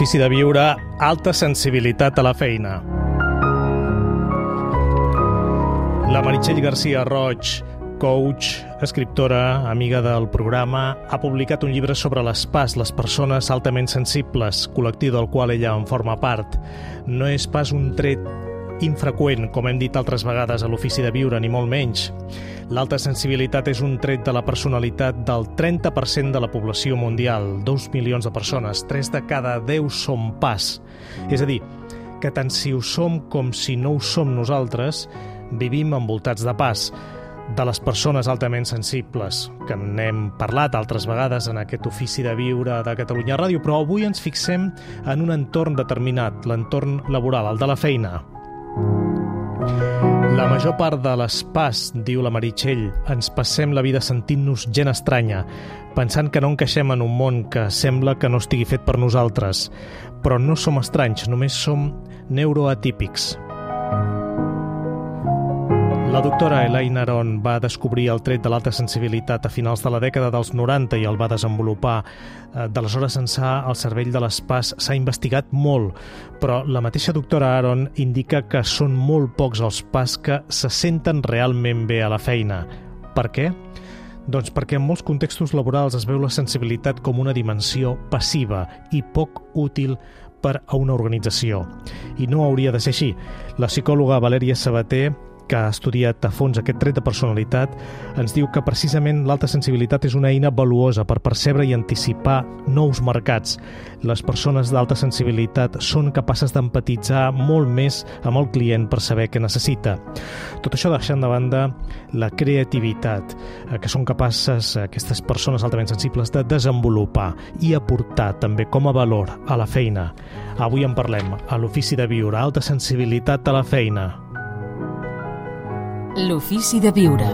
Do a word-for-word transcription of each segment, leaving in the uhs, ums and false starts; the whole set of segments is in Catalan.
l'ofici de viure, alta sensibilitat a la feina. La Meritxell García Roig, coach, escriptora, amiga del programa, ha publicat un llibre sobre les P A S, les persones altament sensibles, col·lectiu del qual ella en forma part. No és pas un tret infreqüent, com hem dit altres vegades a l'ofici de viure, ni molt menys. L'alta sensibilitat és un tret de la personalitat del trenta per cent de la població mundial, dos milions de persones, tres de cada deu som P A S. És a dir, que tant si ho som com si no ho som nosaltres, vivim envoltats de P A S. De les persones altament sensibles, que n'hem parlat altres vegades en aquest ofici de viure de Catalunya Ràdio, però avui ens fixem en un entorn determinat, l'entorn laboral, el de la feina. La major part de les P A S, diu la Meritxell, ens passem la vida sentint-nos gent estranya, pensant que no encaixem en un món que sembla que no estigui fet per nosaltres. Però no som estranys, només som neuroatípics. La doctora Elaine Aron va descobrir el tret de l'alta sensibilitat a finals de la dècada dels noranta i el va desenvolupar. D'aleshores ençà, el cervell de les P A S s'ha investigat molt, però la mateixa doctora Aron indica que són molt pocs els P A S que se senten realment bé a la feina. Per què? Doncs perquè en molts contextos laborals es veu la sensibilitat com una dimensió passiva i poc útil per a una organització. I no hauria de ser així. La psicòloga Valèria Sabater, que ha estudiat a fons aquest tret de personalitat, ens diu que precisament l'alta sensibilitat és una eina valuosa per percebre i anticipar nous mercats. Les persones d'alta sensibilitat són capaces d'empatitzar molt més amb el client per saber què necessita. Tot això deixant de banda la creativitat, que són capaces aquestes persones altament sensibles de desenvolupar i aportar també com a valor a la feina. Avui en parlem a l'ofici de viure, alta sensibilitat a la feina. L'ofici de viure.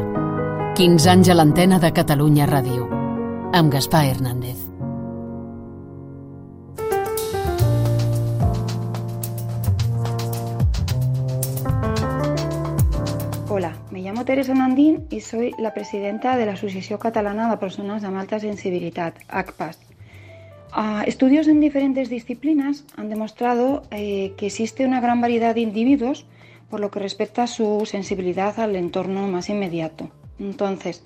quinze anys a l'antena de Catalunya Ràdio. Amb Gaspar Hernández. Hola, me llamo Teresa Nandín y soy la presidenta de la Asociación Catalana de Personas amb Alta Sensibilitat, A C P A S. Uh, estudios en diferentes disciplinas han demostrado eh, que existe una gran variedad de individuos por lo que respecta a su sensibilidad al entorno más inmediato. Entonces,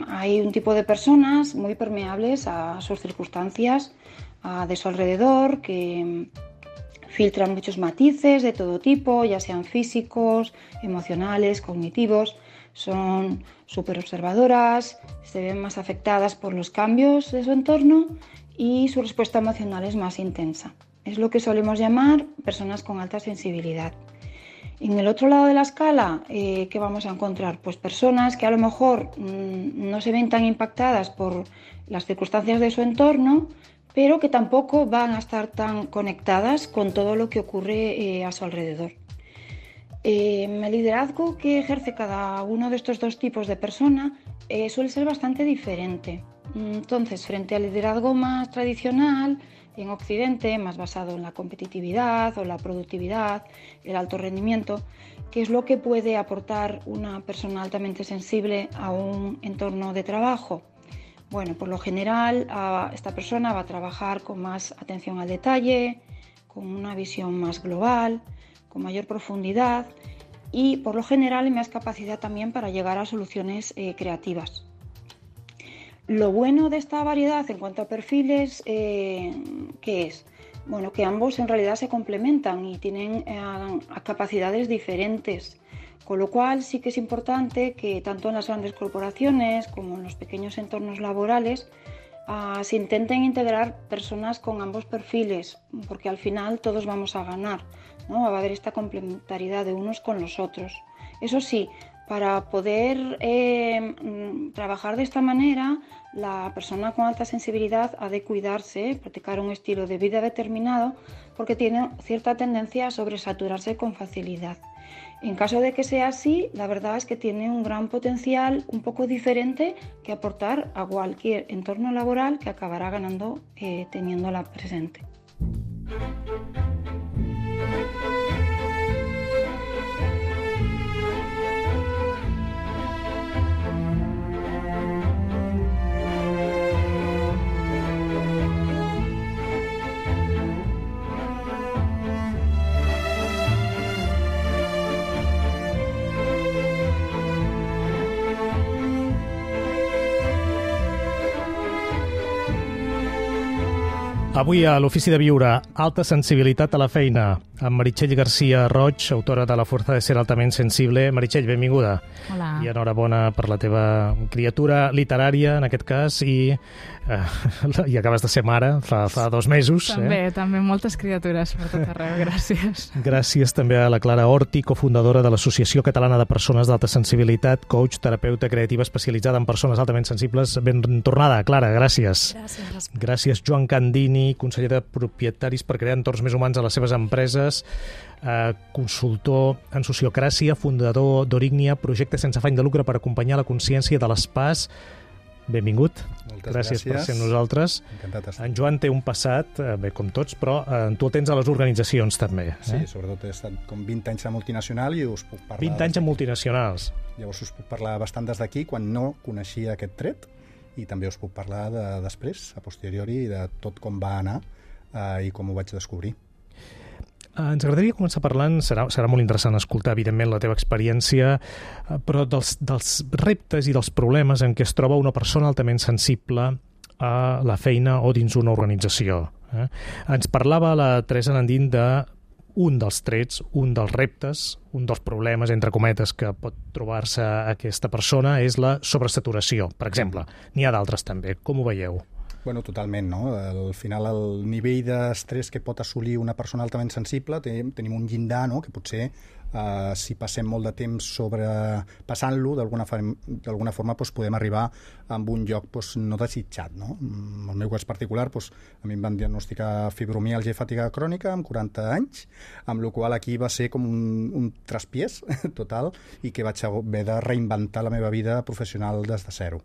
hay un tipo de personas muy permeables a sus circunstancias a, de su alrededor, que filtran muchos matices de todo tipo, ya sean físicos, emocionales, cognitivos, son súper observadoras, se ven más afectadas por los cambios de su entorno y su respuesta emocional es más intensa. Es lo que solemos llamar personas con alta sensibilidad. En el otro lado de la escala, eh, ¿qué vamos a encontrar? Pues personas que a lo mejor mmm, no se ven tan impactadas por las circunstancias de su entorno, pero que tampoco van a estar tan conectadas con todo lo que ocurre eh, a su alrededor. Eh, el liderazgo que ejerce cada uno de estos dos tipos de persona eh, suele ser bastante diferente. Entonces, frente al liderazgo más tradicional, en Occidente, más basado en la competitividad o la productividad, el alto rendimiento, ¿qué es lo que puede aportar una persona altamente sensible a un entorno de trabajo? Bueno, por lo general, esta persona va a trabajar con más atención al detalle, con una visión más global, con mayor profundidad y, por lo general, más capacidad también para llegar a soluciones eh, creativas. Lo bueno de esta variedad en cuanto a perfiles, eh, ¿qué es? Bueno, que ambos en realidad se complementan y tienen eh, capacidades diferentes, con lo cual sí que es importante que tanto en las grandes corporaciones como en los pequeños entornos laborales uh, se intenten integrar personas con ambos perfiles, porque al final todos vamos a ganar, ¿no? Va a haber esta complementariedad de unos con los otros. Eso sí, para poder eh, trabajar de esta manera, la persona con alta sensibilidad ha de cuidarse, practicar un estilo de vida determinado, porque tiene cierta tendencia a sobresaturarse con facilidad. En caso de que sea así, la verdad es que tiene un gran potencial un poco diferente que aportar a cualquier entorno laboral que acabará ganando eh, teniéndola presente. Avui a l'Ofici de Viure, alta sensibilitat a la feina, amb Meritxell García Roig, autora de La fuerza de ser altament sensible. Meritxell, benvinguda. Hola. I enhorabona per la teva criatura literària, en aquest cas, i, eh, i acabes de ser mare fa, fa dos mesos. També, eh? també moltes criatures per tot arreu, gràcies. Gràcies també a la Clara Horti, cofundadora de l'Associació Catalana de Persones d'Alta Sensibilitat, coach, terapeuta creativa especialitzada en persones altament sensibles. Ben tornada, Clara, gràcies. Gràcies. Gràcies, Joan Candini, conseller de Propietaris per crear entorns més humans a les seves empreses, eh, consultor en sociocràcia, fundador d'Orignia, projecte sense afany de lucre per acompanyar la consciència de les P A S. Benvingut. Moltes gràcies. gràcies per ser amb nosaltres. Encantat d'estar. En Joan té un passat, eh, bé, com tots, però eh, tu el tens a les organitzacions també. Eh? Sí, sobretot he estat com vint anys a multinacional i us puc parlar... vint anys a multinacionals. Llavors us puc parlar bastant des d'aquí, quan no coneixia aquest tret, i també us puc parlar de després, a posteriori, de tot com va anar eh, i com ho vaig descobrir. Ens agradaria començar parlant, serà, serà molt interessant escoltar, evidentment, la teva experiència, però dels, dels reptes i dels problemes en què es troba una persona altament sensible a la feina o dins una organització. Eh? Ens parlava la Teresa Nandín de un dels trets, un dels reptes, un dels problemes, entre cometes, que pot trobar-se aquesta persona és la sobresaturació, per exemple. N'hi ha d'altres també. Com ho veieu? Bueno, totalment, no? Al final, el nivell d'estrès que pot assolir una persona altament sensible, tenim un llindar, no?, que potser Uh, si passem molt de temps sobrepassant-lo, d'alguna d'alguna forma doncs, podem arribar a un lloc doncs, no desitjat. No? En el meu cas particular, doncs, a mi em van diagnosticar fibromiàlgia i fatiga crònica amb quaranta anys, amb la qual aquí va ser com un, un traspiés total i que vaig haver de reinventar la meva vida professional des de zero.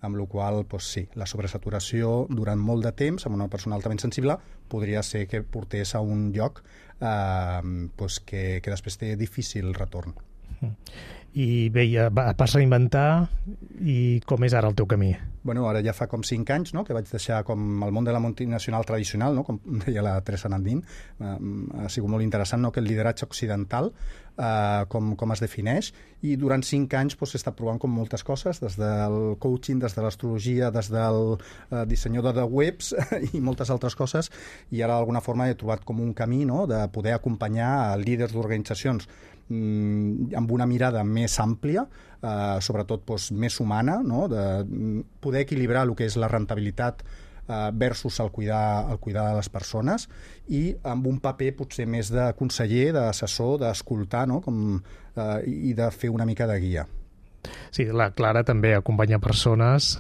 Amb la qual doncs, sí, la sobresaturació durant molt de temps amb una persona altament sensible podria ser que portés a un lloc eh, doncs que, que després té difícil retorn. I bé, vas reinventar, i com és ara el teu camí? Bueno, ara ja fa com cinc anys, no?, que vaig deixar com el món de la multinacional tradicional, no?, com deia la Teresa Nandín. Uh, ha sigut molt interessant, no?, que el lideratge occidental, uh, com, com es defineix, i durant cinc anys pues, he estat provant com moltes coses, des del coaching, des de l'astrologia, des del uh, dissenyador de webs i moltes altres coses, i ara d'alguna forma he trobat com un camí, no?, de poder acompanyar a líders d'organitzacions amb una mirada més àmplia, eh, sobretot doncs, més humana, no? De poder equilibrar el que és la rentabilitat eh, versus el cuidar, el cuidar de les persones, i amb un paper potser més de conseller, d'assessor, d'escoltar, no? Com, eh, i de fer una mica de guia. Sí, la Clara també acompanya persones.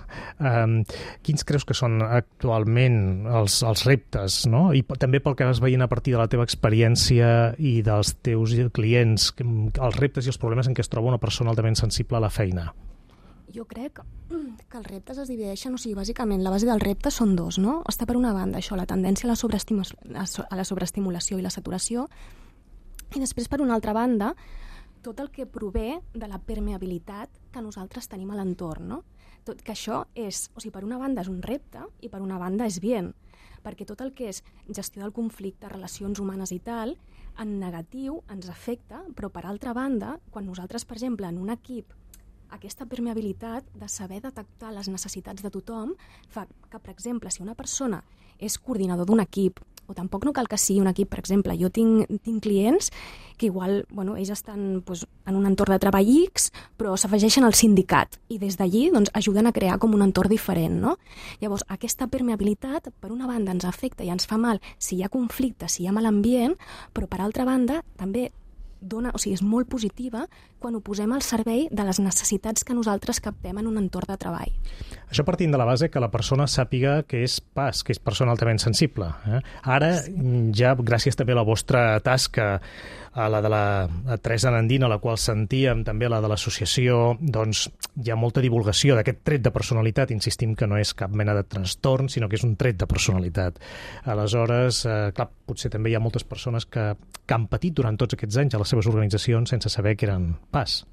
Um, quins creus que són actualment els, els reptes, no? I també pel que vas veient a partir de la teva experiència i dels teus clients, els reptes i els problemes en què es troba una persona altament sensible a la feina? Jo crec que els reptes es divideixen, o sigui, bàsicament la base del repte són dos, no? Està per una banda això, la tendència a la sobreestimulació, a la sobreestimulació i la saturació, i després per una altra banda tot el que prové de la permeabilitat que nosaltres tenim a l'entorn, no? Tot que això és, o sigui, per una banda és un repte i per una banda és bien, perquè tot el que és gestió del conflicte, relacions humanes i tal, en negatiu ens afecta, però per altra banda, quan nosaltres, per exemple, en un equip, aquesta permeabilitat de saber detectar les necessitats de tothom fa que, per exemple, si una persona és coordinador d'un equip, o tampoc no cal que sigui un equip, per exemple, jo tinc, tinc clients que igual, bueno, ells estan doncs, en un entorn de treball X, però s'afegeixen al sindicat i des d'allí doncs, ajuden a crear com un entorn diferent, no? Llavors, aquesta permeabilitat, per una banda, ens afecta i ens fa mal si hi ha conflicte, si hi ha mal ambient, però per altra banda, també dona, o sigui, és molt positiva quan ho posem al servei de les necessitats que nosaltres captem en un entorn de treball. Això partint de la base que la persona sàpiga que és P A S, que és persona altament sensible. Eh? Ara, sí. ja gràcies també a la vostra tasca, a la de la a Teresa Nandín, a la qual sentíem, també a la de l'associació, doncs hi ha molta divulgació d'aquest tret de personalitat. Insistim que no és cap mena de trastorn, sinó que és un tret de personalitat. Aleshores, eh, clar, potser també hi ha moltes persones que, que han patit durant tots aquests anys a les seves organitzacions sense saber que eren P A S.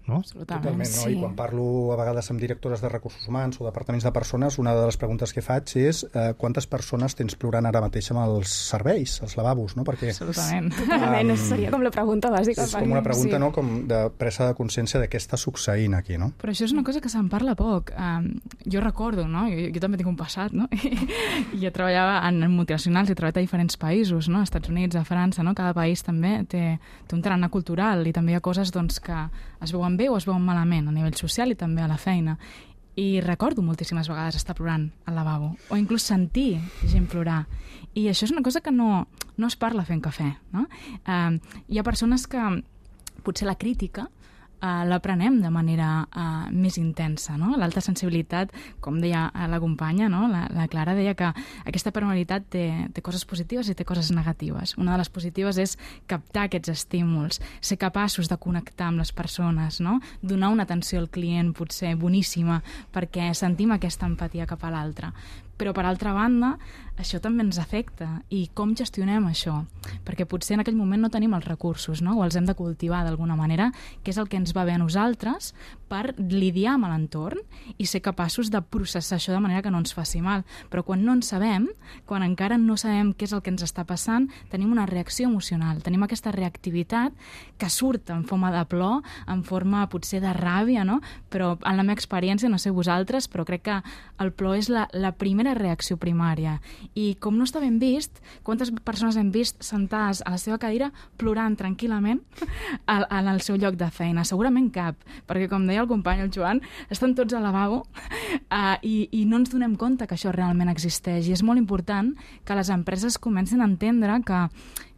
no? Absolutament. Totalment, no? Sí. I quan parlo a vegades amb directores de recursos humans o departaments de persones, una de les preguntes que faig és eh, quantes persones tens plorant ara mateix amb els serveis, els lavabos, no? Perquè Absolutament. Totalment, um, seria com la pregunta bàsica. és com una pregunta, Sí. no?, com de presa de consciència de què està succeint aquí, no? Però això és una cosa que se'n parla poc. Um, jo recordo, no? Jo, jo també tinc un passat, no? I jo treballava en multinacionals, he treballat a diferents països, no? Als Estats Units, a França, no? Cada país també té, té un tarannà cultural i també hi ha coses doncs, que es veuen bé o es veuen malament a nivell social i també a la feina. I recordo moltíssimes vegades estar plorant al lavabo o inclús sentir gent plorar. I això és una cosa que no, no es parla fent cafè, no? Uh, hi ha persones que potser la crítica Uh, l'aprenem de manera uh, més intensa, no? L'alta sensibilitat, com deia uh, la companya, no? la, la Clara deia que aquesta personalitat té, té coses positives i té coses negatives. Una de les positives és captar aquests estímuls, ser capaços de connectar amb les persones, no? Donar una atenció al client potser boníssima perquè sentim aquesta empatia cap a l'altre. Però, per altra banda, això també ens afecta. I com gestionem això? Perquè potser en aquell moment no tenim els recursos, no? O els hem de cultivar d'alguna manera, que és el que ens va bé a nosaltres per lidiar amb l'entorn i ser capaços de processar això de manera que no ens faci mal. Però quan no en sabem, quan encara no sabem què és el que ens està passant, tenim una reacció emocional, tenim aquesta reactivitat que surt en forma de plor, en forma potser de ràbia, no? Però en la meva experiència, no sé vosaltres, però crec que el plor és la, la primera reacció primària. I com no està ben vist, quantes persones hem vist sentades a la seva cadira plorant tranquil·lament en el seu lloc de feina? Segurament cap, perquè com deia el company, el Joan, estan tots al lavabo uh, i, i no ens donem compte que això realment existeix. I és molt important que les empreses comencin a entendre que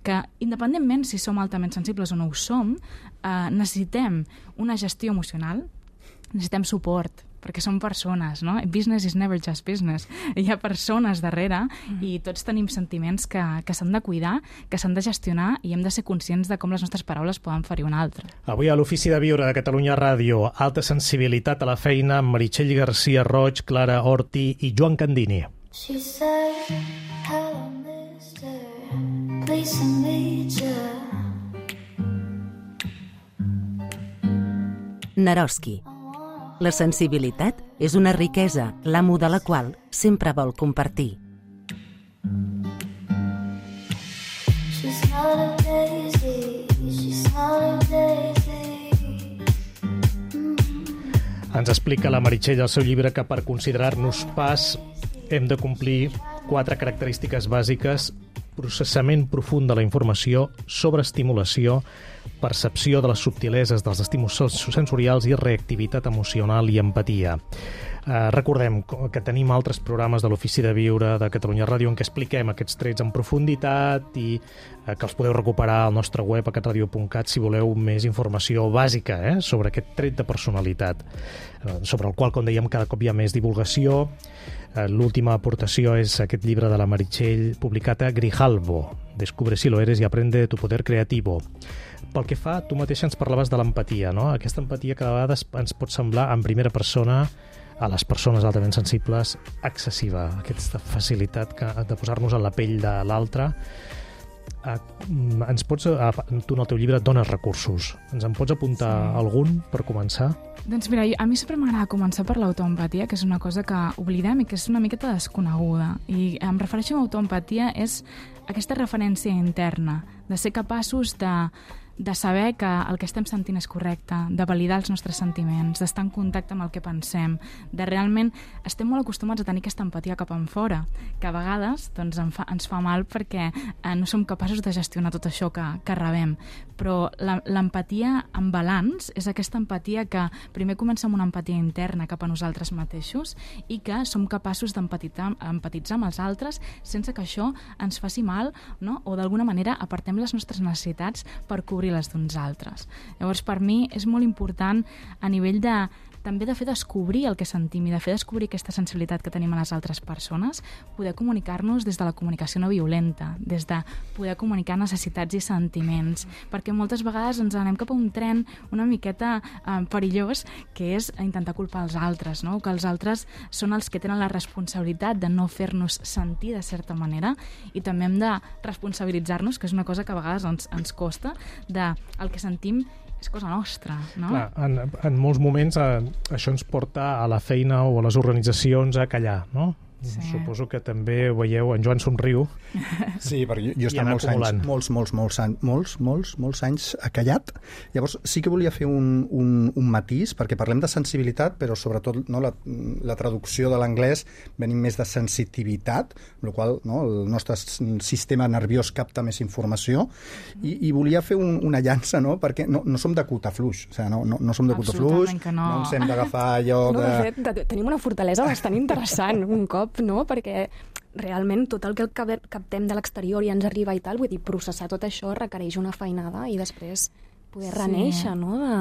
que independentment si som altament sensibles o no ho som, uh, necessitem una gestió emocional, necessitem suport, perquè som persones, no? Business is never just business. Hi ha persones darrere mm. i tots tenim sentiments que, que s'han de cuidar, que s'han de gestionar i hem de ser conscients de com les nostres paraules poden ferir un altre. Avui a l'Ofici de Viure de Catalunya Ràdio, alta sensibilitat a la feina amb Meritxell García Roig, Clara Orti i Joan Candini. She said, hello, mister, please to meet you. Naroski. La sensibilitat és una riquesa, l'amo de la qual sempre vol compartir. She's not a daisy, she's not a daisy. Mm-hmm. Ens explica la Meritxell al seu llibre que per considerar-nos pas hem de complir quatre característiques bàsiques: processament profund de la informació, sobreestimulació, percepció de les subtileses dels estímuls sensorials i reactivitat emocional i empatia. Eh, recordem que tenim altres programes de l'Ofici de Viure de Catalunya Ràdio en què expliquem aquests trets en profunditat i eh, que els podeu recuperar al nostre web a catradio punt cat si voleu més informació bàsica eh, sobre aquest tret de personalitat, eh, sobre el qual, com dèiem, cada cop hi ha més divulgació. Eh, l'última aportació és aquest llibre de la Meritxell publicat a Grijalbo, Descubre si lo eres y aprende tu poder creativo. Pel que fa, tu mateixa ens parlaves de l'empatia, no? Aquesta empatia que a vegades ens pot semblar en primera persona a les persones altament sensibles excessiva, aquesta facilitat que, de posar-nos en la pell de l'altre. Eh, ens pots, eh, tu en el teu llibre dones recursos, ens en pots apuntar sí. algun per començar? Doncs mira, a mi sempre m'agrada començar per l'autoempatia, que és una cosa que oblidem i que és una miqueta desconeguda. I em refereixo a autoempatia és aquesta referència interna, de ser capaços de de saber que el que estem sentint és correcte, de validar els nostres sentiments, d'estar en contacte amb el que pensem, de realment estem molt acostumats a tenir aquesta empatia cap enfora, que a vegades doncs, en fa, ens fa mal perquè eh, no som capaços de gestionar tot això que, que rebem. Però l'empatia en balanç és aquesta empatia que primer comença amb una empatia interna cap a nosaltres mateixos i que som capaços d'empatitzar empatitzar amb els altres sense que això ens faci mal, no? O d'alguna manera apartem les nostres necessitats per cobrir les d'uns altres. Llavors, per mi és molt important a nivell de també de fer descobrir el que sentim i de fer descobrir aquesta sensibilitat que tenim a les altres persones, poder comunicar-nos des de la comunicació no violenta, des de poder comunicar necessitats i sentiments, perquè moltes vegades ens anem cap a un tren una miqueta eh, perillós, que és intentar culpar els altres, no? Que els altres són els que tenen la responsabilitat de no fer-nos sentir de certa manera, i també hem de responsabilitzar-nos, que és una cosa que a vegades ens, ens costa, de el que sentim és cosa nostra, no? Clar, en, en molts moments eh, això ens porta a la feina o a les organitzacions a callar, no? Sí. Suposo que també ho veieu, en Joan somriu. Sí, perquè jo, jo he estat molts acumulant. anys, molts, molts, molts, anys, molts, molts, molts anys callat. Llavors sí que volia fer un, un, un matís, perquè parlem de sensibilitat, però sobretot no, la, la traducció de l'anglès venim més de sensitivitat, amb la qual no, el nostre sistema nerviós capta més informació, i, i volia fer un, una llança, no? Perquè no, no som de cuta fluix, o sigui, no, no, no som de cuta fluix, no. no ens hem d'agafar allò no, de... de fet, tenim una fortalesa bastant interessant un cop, no? Perquè realment tot el que captem de l'exterior i ens arriba i tal, vull dir, processar tot això requereix una feinada i després poder sí. reneixer, no? De...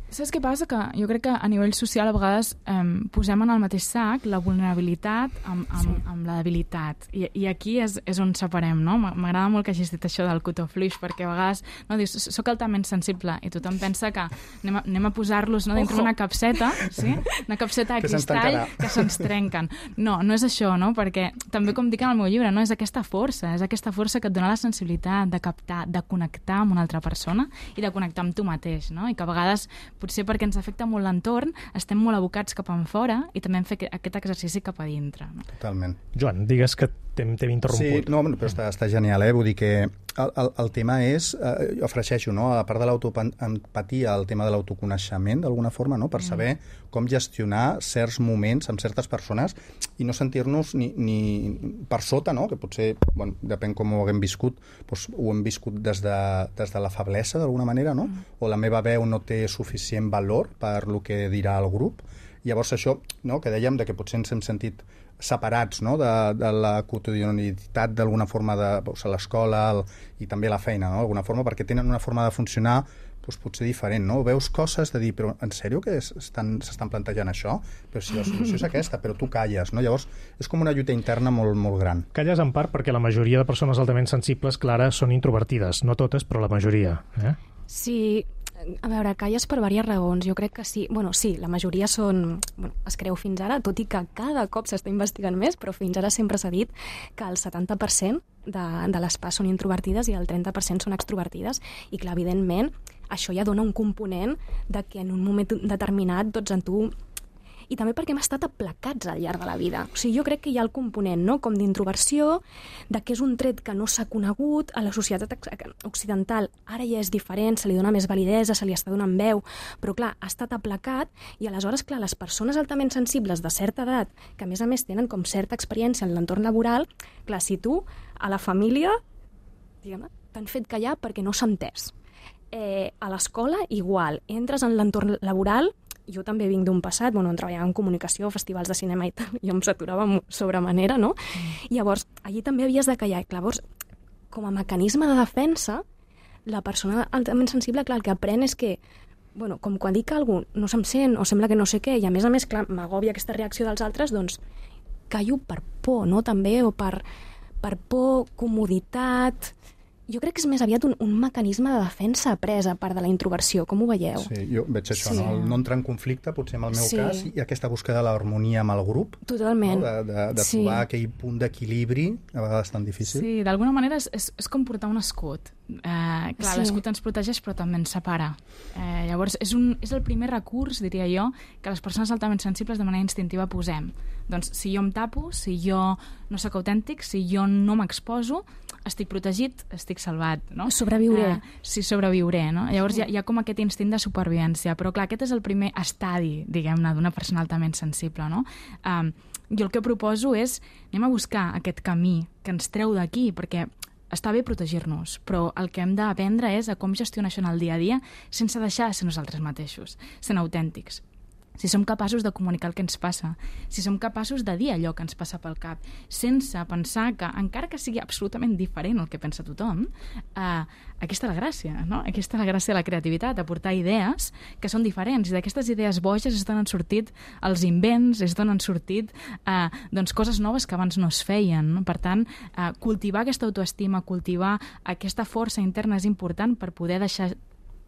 Saps què passa? Que jo crec que a nivell social a vegades eh, posem en el mateix sac la vulnerabilitat amb, amb, sí. amb la debilitat. I, i aquí és, és on separem, no? M'agrada molt que hagis dit això del cotó fluix, perquè a vegades no, dius, soc altament sensible, i tothom pensa que anem a, anem a posar-los no, dintre una capseta, sí? Una capseta de cristall que se'ns trenquen. No, no és això, no? Perquè també, com dic en el meu llibre, no? És aquesta força, és aquesta força que et dona la sensibilitat de captar, de connectar amb una altra persona i de connectar amb tu mateix, no? I que a vegades, potser perquè ens afecta molt l'entorn, estem molt abocats cap en fora i també hem fet aquest exercici cap a dintre. No? Totalment. Joan, digues que t'hem interromput. Sí, no, però està, està genial, eh? Vull dir que el, el, el tema és, eh, jo afregeixo, no? A part de l'autoempatia, el tema de l'autoconeixement, d'alguna forma, no? Per saber com gestionar certs moments amb certes persones i no sentir-nos ni, ni per sota, no? Que potser, bueno, depèn com ho haguem viscut, doncs ho hem viscut des de, des de la feblesa, d'alguna manera, no? Mm. O la meva veu no té suficient valor per lo que dirà el grup. Llavors això, no? Que dèiem de que potser ens hem sentit separats, no? de, de la quotidianitat d'alguna forma de doncs, a l'escola el, i també a la feina, no? D'alguna forma, perquè tenen una forma de funcionar doncs, potser diferent, no? Veus coses de dir, però en sèrio que s'estan plantejant això? Però si la solució és aquesta, però tu calles, no? Llavors és com una lluita interna molt, molt gran. Calles en part perquè la majoria de persones altament sensibles, Clara, són introvertides, no totes, però la majoria. Eh? Sí, a veure, calles per diverses raons. Jo crec que sí. Bueno, sí, la majoria són... Bueno, es creu fins ara, tot i que cada cop s'està investigant més, però fins ara sempre s'ha dit que el setanta per cent de, de les P A S són introvertides i el trenta per cent són extrovertides. I clar, evidentment, això ja dona un component de que en un moment determinat, doncs en tu... I també perquè hem estat aplacats al llarg de la vida. O sigui, jo crec que hi ha el component, no?, com d'introversió, de que és un tret que no s'ha conegut, a la societat occidental ara ja és diferent, se li dona més validesa, se li està donant veu, però clar, ha estat aplacat i aleshores, clar, les persones altament sensibles de certa edat, que a més a més tenen com certa experiència en l'entorn laboral, clar, si tu a la família, diguem-ne, t'han fet callar perquè no s'ha entès. Eh, a l'escola, igual, entres en l'entorn laboral. Jo també vinc d'un passat, bueno, on treballava en comunicació, festivals de cinema i tal, i em saturava sobremanera, no? Mm. I llavors, allí també havies de callar. Llavors, com a mecanisme de defensa, la persona altament sensible, clar, el que aprèn és que, bueno, com quan dic que algú no se'm sent o sembla que no sé què, i a més a més, clar, m'agòbia aquesta reacció dels altres, doncs callo per por, no?, també, o per, per por, comoditat... Jo crec que és més aviat un, un mecanisme de defensa après a part de la introversió. Com ho veieu? Sí, jo veig això, sí. no? El no entrar en conflicte, potser en el meu sí. cas, i aquesta búsqueda de l'harmonia amb el grup. Totalment. No? De, de, de sí. trobar aquell punt d'equilibri, a vegades tan difícil. Sí, d'alguna manera és, és, és com portar un escut. Eh, clar, sí. L'escut ens protegeix, però també ens separa. Eh, llavors, és, un, és el primer recurs, diria jo, que les persones altament sensibles de manera instintiva posem. Doncs si jo em tapo, si jo no sóc autèntic, si jo no m'exposo, estic protegit, estic salvat, no? Sobreviuré. Eh, sí, sobreviuré, no? Llavors hi ha, hi ha com aquest instint de supervivència, però clar, aquest és el primer estadi, diguem-ne, d'una persona altament sensible, no? Um, jo el que proposo és, anem a buscar aquest camí que ens treu d'aquí, perquè està bé protegir-nos, però el que hem d'aprendre és a com gestionar això en el dia a dia sense deixar de ser nosaltres mateixos, sent autèntics. Si som capaços de comunicar el que ens passa, si som capaços de dir allò que ens passa pel cap, sense pensar que, encara que sigui absolutament diferent el que pensa tothom, eh, aquesta és la gràcia, no? Aquesta és la gràcia de la creativitat, aportar idees que són diferents, i d'aquestes idees boges és d'on han sortit els invents, és d'on han sortit eh, doncs, coses noves que abans no es feien, no? Per tant, eh, cultivar aquesta autoestima, cultivar aquesta força interna és important per poder deixar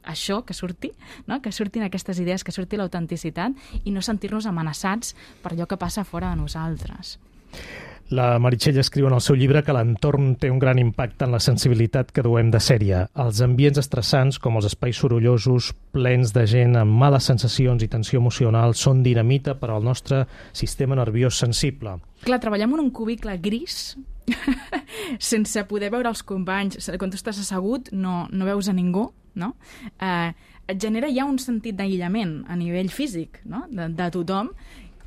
això que surti, no? Que surtin aquestes idees, que surti l'autenticitat i no sentir-nos amenaçats per allò que passa fora de nosaltres. La Meritxell escriu en el seu llibre que l'entorn té un gran impacte en la sensibilitat que duem de sèrie. Els ambients estressants, com els espais sorollosos, plens de gent amb males sensacions i tensió emocional, són dinamita per al nostre sistema nerviós sensible. Clar, treballem en un cubicle gris, sense poder veure els companys. Quan tu estàs assegut no, no veus a ningú, no? Eh, et genera ja un sentit d'aïllament a nivell físic, no? de, de tothom,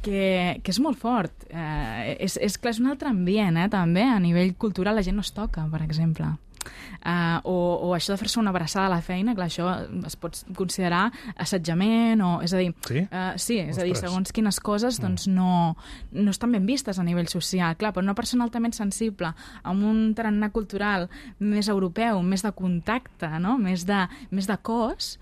que, que és molt fort. Eh, és, és clar, és un altre ambient, eh, també. A nivell cultural la gent no es toca, per exemple. Uh, o, o això de fer-se una abraçada a la feina, clar, això es pot considerar assetjament, o, és a dir, sí, uh, sí és Ostres. a dir, segons quines coses doncs no, no estan ben vistes a nivell social. Clar, per una persona altament sensible, amb un tarannà cultural més europeu, més de contacte, no? més, de, més de cos,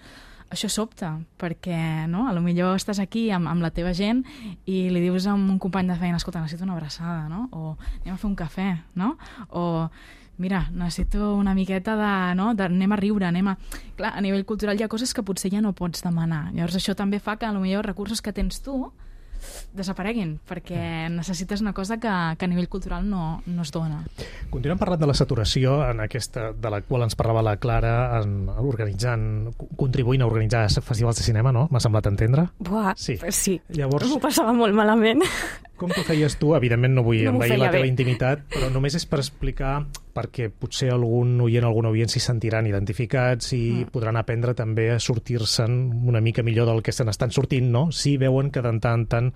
això sobta, perquè no? a lo millor estàs aquí amb, amb la teva gent i li dius a un company de feina, escolta, necessito una abraçada, no? O anem a fer un cafè, no? O mira, necessito una miqueta de, no? de... anem a riure, anem a... Clar, a nivell cultural hi ha coses que potser ja no pots demanar. Llavors això també fa que a lo millor recursos que tens tu desapareguin, perquè necessites una cosa que, que a nivell cultural no, no es dona. Continuem parlant de la saturació en aquesta, de la qual ens parlava la Clara, en, organitzant, contribuint a organitzar festivals de cinema, no? M'ha semblat entendre? Buah, sí. sí. Llavors, m'ho passava molt malament. Com t'ho feies tu? Evidentment no vull no envair la teva bé. intimitat, però només és per explicar, perquè potser algun oient, algun oient s'hi sentiran identificats i mm. podran aprendre també a sortir-se'n una mica millor del que se n'estan sortint, no? Si veuen que de tant en tant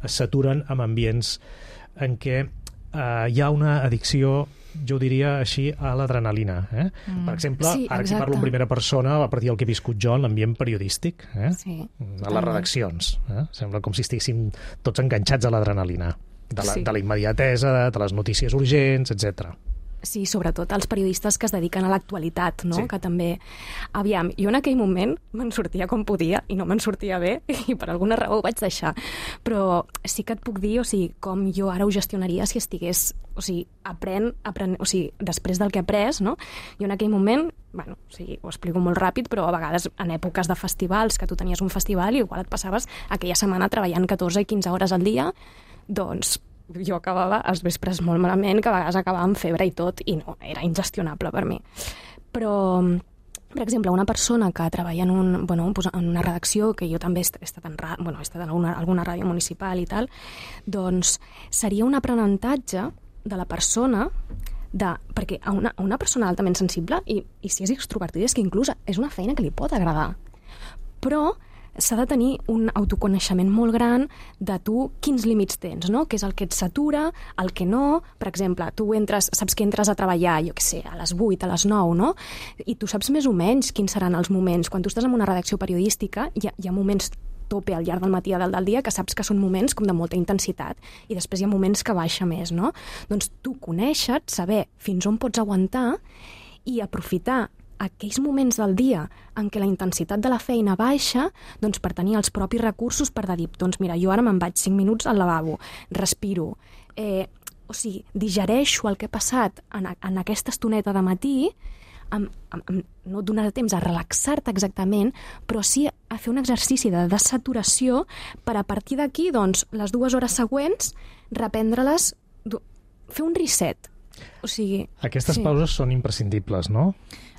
es saturen amb ambients en què eh, hi ha una addicció, jo ho diria així, a l'adrenalina. Eh? Mm. Per exemple, sí, ara que parlo en primera persona, a partir del que he viscut jo en l'ambient periodístic, eh? sí, a les redaccions. Eh? Sembla com si estiguéssim tots enganxats a l'adrenalina, de la, sí. de la immediatesa, de, de les notícies urgents, etcètera. Sí, sobretot els periodistes que es dediquen a l'actualitat, no? Sí. Que també... Aviam, jo en aquell moment me'n sortia com podia i no me'n sortia bé i per alguna raó ho vaig deixar. Però sí que et puc dir, o sigui, com jo ara ho gestionaria si estigués... O sigui, apren, apren, o sigui, després del que he après, no? Jo en aquell moment, bueno, o sigui, ho explico molt ràpid, però a vegades en èpoques de festivals, que tu tenies un festival i igual et passaves aquella setmana treballant catorze i quinze hores al dia, doncs jo acabava els vespres molt malament, que a vegades acabava amb febre i tot, i no, era ingestionable per mi. Però, per exemple, una persona que treballa en, un, bueno, en una redacció, que jo també he estat en, bueno, he estat en alguna, alguna ràdio municipal i tal, doncs seria un aprenentatge de la persona, de, perquè a una, a una persona altament sensible, i, i si és extrovertida, és que inclús és una feina que li pot agradar. Però s'ha de tenir un autoconeixement molt gran de tu quins límits tens, no? Què és el que et satura, el que no. Per exemple, tu entres, saps que entres a treballar, jo què sé, a les vuit, a les nou, no? I tu saps més o menys quins seran els moments. Quan tu estàs en una redacció periodística, hi ha, hi ha moments tope al llarg del matí i del, del dia que saps que són moments com de molta intensitat i després hi ha moments que baixa més, no? Doncs tu conèixer, saber fins on pots aguantar i aprofitar aquells moments del dia en què la intensitat de la feina baixa, doncs per tenir els propis recursos per dir, doncs mira, jo ara me'n vaig cinc minuts al lavabo, respiro, eh, o sigui, digereixo el que he passat en, en aquesta estoneta de matí, amb, amb, amb, no et donarà temps a relaxar-te exactament, però sí a fer un exercici de desaturació per a partir d'aquí, doncs, les dues hores següents, reprendre-les, fer un reset. O sigui... Aquestes sí. pauses són imprescindibles, no?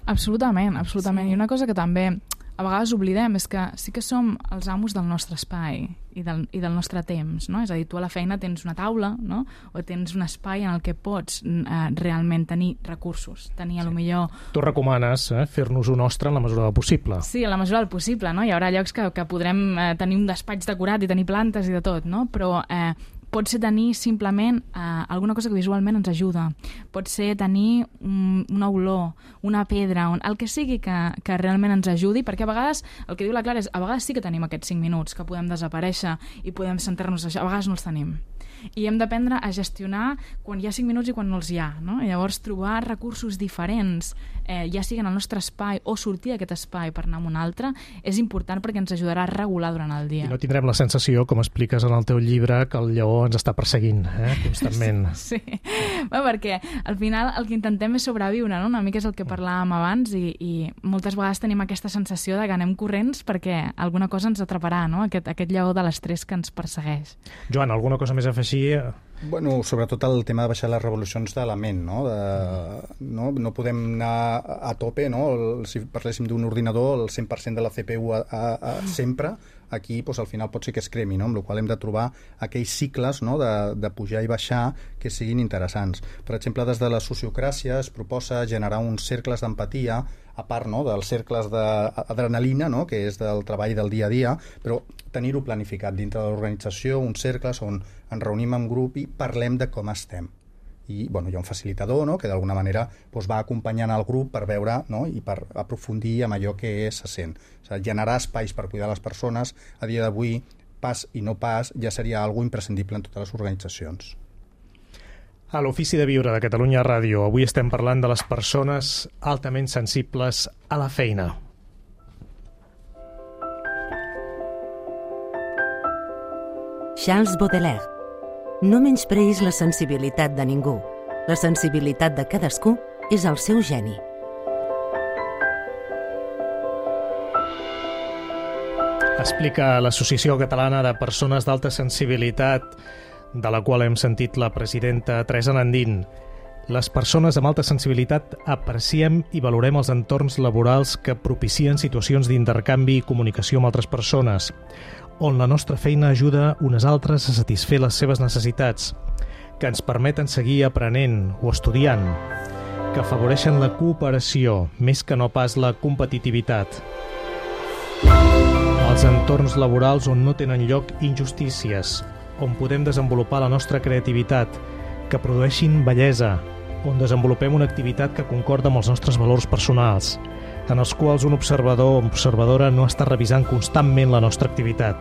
Absolutament, absolutament. Sí. I una cosa que també a vegades oblidem és que sí que som els amos del nostre espai i del, i del nostre temps, no? És a dir, tu a la feina tens una taula, no? O tens un espai en el que pots eh, realment tenir recursos, tenir a lo millor... Tu recomanes eh, fer-nos-ho nostre en la mesura del possible. Sí, en la mesura del possible, no? Hi haurà llocs que, que podrem eh, tenir un despatx decorat i tenir plantes i de tot, no? Però... Eh, pot ser tenir simplement eh, alguna cosa que visualment ens ajuda. Pot ser tenir un, una olor, una pedra, un, el que sigui que, que realment ens ajudi, perquè a vegades, el que diu la Clara és, a vegades sí que tenim aquests cinc minuts que podem desaparèixer i podem sentar-nos a això, a vegades no els tenim. I hem d'aprendre a gestionar quan hi ha cinc minuts i quan no els hi ha, no? I llavors trobar recursos diferents, eh, ja siguin al nostre espai o sortir d'aquest espai per anar a un altre, és important perquè ens ajudarà a regular durant el dia. I no tindrem la sensació, com expliques en el teu llibre, que el lleó ens està perseguint eh, constantment. Sí, bueno, perquè al final el que intentem és sobreviure, no? Una mica és el que parlàvem abans i, i moltes vegades tenim aquesta sensació de que anem corrents perquè alguna cosa ens atraparà, no? Aquest, aquest lleó de l'estrès que ens persegueix. Joan, alguna cosa més a afegir? Bueno, sobretot el tema de baixar les revolucions de la ment, no? De, no? No podem anar a tope, no? El, si parléssim d'un ordinador, el cent per cent de la C P U a, a, a, sempre, aquí doncs, al final pot ser que es cremi, no? Amb la qual hem de trobar aquells cicles, no? de, de pujar i baixar que siguin interessants. Per exemple, des de la sociocràcia es proposa generar uns cercles d'empatia, a part, no? dels cercles d'adrenalina, no? que és del treball del dia a dia, però tenir-ho planificat dintre de l'organització, uns cercles on ens reunim en grup i parlem de com estem. I bueno, hi ha un facilitador, no? que d'alguna manera doncs, va acompanyant el grup per veure, no? i per aprofundir en allò que se sent. O sigui, generar espais per cuidar les persones a dia d'avui, pas i no pas, ja seria algo imprescindible en totes les organitzacions. A l'Ofici de Viure de Catalunya Ràdio avui estem parlant de les persones altament sensibles a la feina. Charles Baudelaire. No menyspreïs la sensibilitat de ningú. La sensibilitat de cadascú és el seu geni. Explica l'Associació Catalana de Persones d'Alta Sensibilitat, de la qual hem sentit la presidenta Teresa Nandín. Les persones amb alta sensibilitat apreciem i valorem els entorns laborals que propicien situacions d'intercanvi i comunicació amb altres persones, on la nostra feina ajuda unes altres a satisfer les seves necessitats, que ens permeten seguir aprenent o estudiant, que afavoreixen la cooperació més que no pas la competitivitat. Els entorns laborals on no tenen lloc injustícies, on podem desenvolupar la nostra creativitat, que produeixin bellesa, on desenvolupem una activitat que concorda amb els nostres valors personals, en els quals un observador o observadora no està revisant constantment la nostra activitat.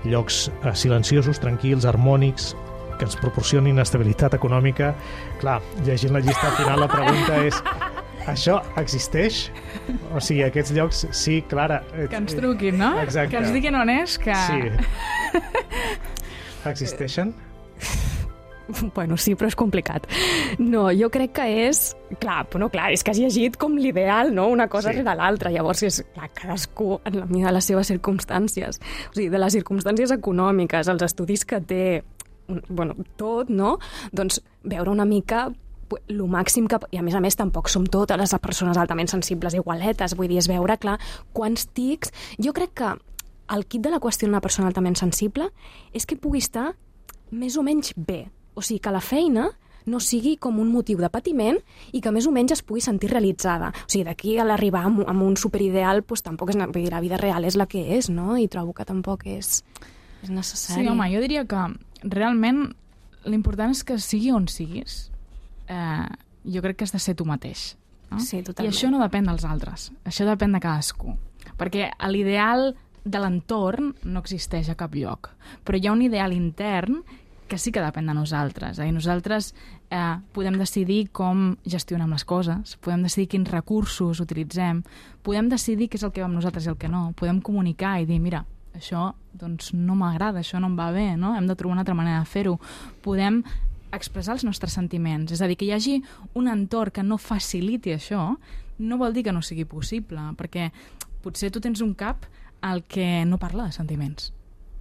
Llocs silenciosos, tranquils, harmònics, que ens proporcionin estabilitat econòmica. Clar, llegint la llista al final la pregunta és: això existeix? O sigui, aquests llocs, sí, Clara... Que ens truquin, no? Exacte. Que ens diguin on és, que... Sí. Existeixen? Bueno, sí, però és complicat. No, jo crec que és... Clar, no, clar, és que has llegit com l'ideal, no? Una cosa Sí. rere l'altra. Llavors, és, clar, cadascú en la mida de les seves circumstàncies. O sigui, de les circumstàncies econòmiques, els estudis que té, bueno, tot, no? Doncs veure una mica lo màxim que... I a més a més tampoc som totes les persones altament sensibles igualetes, vull dir, és veure, clar, quants tics... Jo crec que el kit de la qüestió d'una persona altament sensible és que pugui estar més o menys bé. O sigui, que la feina no sigui com un motiu de patiment i que més o menys es pugui sentir realitzada. O sigui, d'aquí a l'arribar amb, amb un superideal, doncs tampoc és... Vull dir, la vida real és la que és, no? I trobo que tampoc és, és necessari. Sí, home, jo diria que realment l'important és que sigui on siguis, eh, jo crec que has de ser tu mateix. No? Sí, totalment. I això no depèn dels altres, això depèn de cadascú. Perquè l'ideal de l'entorn no existeix a cap lloc, però hi ha un ideal intern que sí que depèn de nosaltres. Eh? I nosaltres eh, podem decidir com gestionem les coses, podem decidir quins recursos utilitzem, podem decidir què és el que va amb nosaltres i el que no, podem comunicar i dir, mira, això doncs, no m'agrada, això no em va bé, no? Hem de trobar una altra manera de fer-ho. Podem expressar els nostres sentiments, és a dir, que hi hagi un entorn que no faciliti això, no vol dir que no sigui possible, perquè potser tu tens un cap al que no parla de sentiments